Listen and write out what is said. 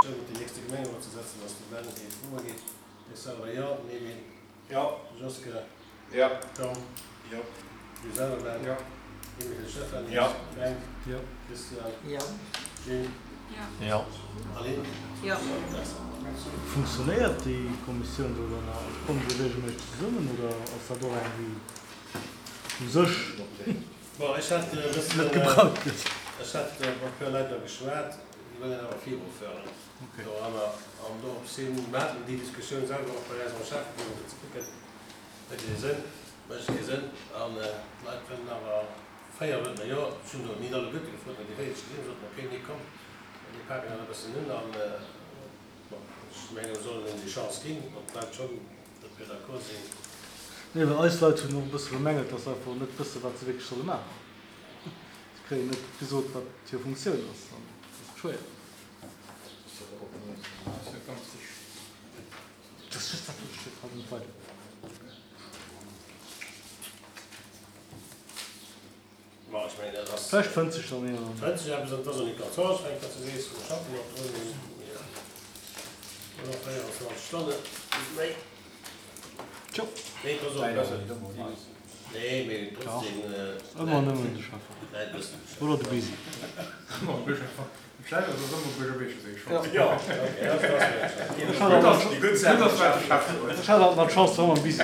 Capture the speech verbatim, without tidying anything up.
Kommissioun op déi nächste Gemengerot ze setzen ass. De Ben geet Froe geet. Ech selwer jo. Nevin. Jo. Joske. Jo. Tom. Jo. Du selwer Ben. Jo. Emile Stephany. Jo. Fränk. Jo. Christian. Jo. Jill. Jo. Aline. Jo. Merci. Funktionéiert déi Kommissioun do dann nach? Also kommen déi regelméisseg zesummen oder ass dat och eng, déi u sech Bon, ech hat e bëssen, net gebraucht gëtt? ech hat mat e puer Leit da geschwat, déi wëllen awer viruféieren doranner. An dorops hin, mir haten déi Diskussioun selwer och bei eis am Schäfferot, fir ze kucken, huet dee Sënn, mécht kee Sënn. An d'Leit wëllen awer véier wëllen, jo, ech hunn do nit alleguerte gefrot, mä déi véier, déi ech gesinn hunn, soten, okay, nee, komm, mir paken dat e bëssen un. An bon, ech menge mir sollen hinnen déi Chance ginn, wann d'Leit schonn dofir d'accord sinn. Nee, well eis Leit hunn och e bësse bemängelt, dass se einfach net wëssen, wat se wierklech solle maachen. Se kréien net gesot, wat hir Funktioun ass, an dat ass schwéier. Dat ass just dat, wat ech haut net weider. Bon, ech mengen, dat ass. Vläicht fënnt sech dann een an. Fënnt sech eppes, an et ass och net ganz anstrengend, wat s du sees. Mir schaffen och drun, mee jo, nach véierundzwanzeg Stonnen, net méi. Tjo. Nee, et ass och e bëssen, nee, mee trotzdem, Ëmmer nëmmen de Schäffer. d'Leit wëssen Bescheid. Oder de Bisi. Jo. Ech hat alt nach d'Chance, mam Bisi.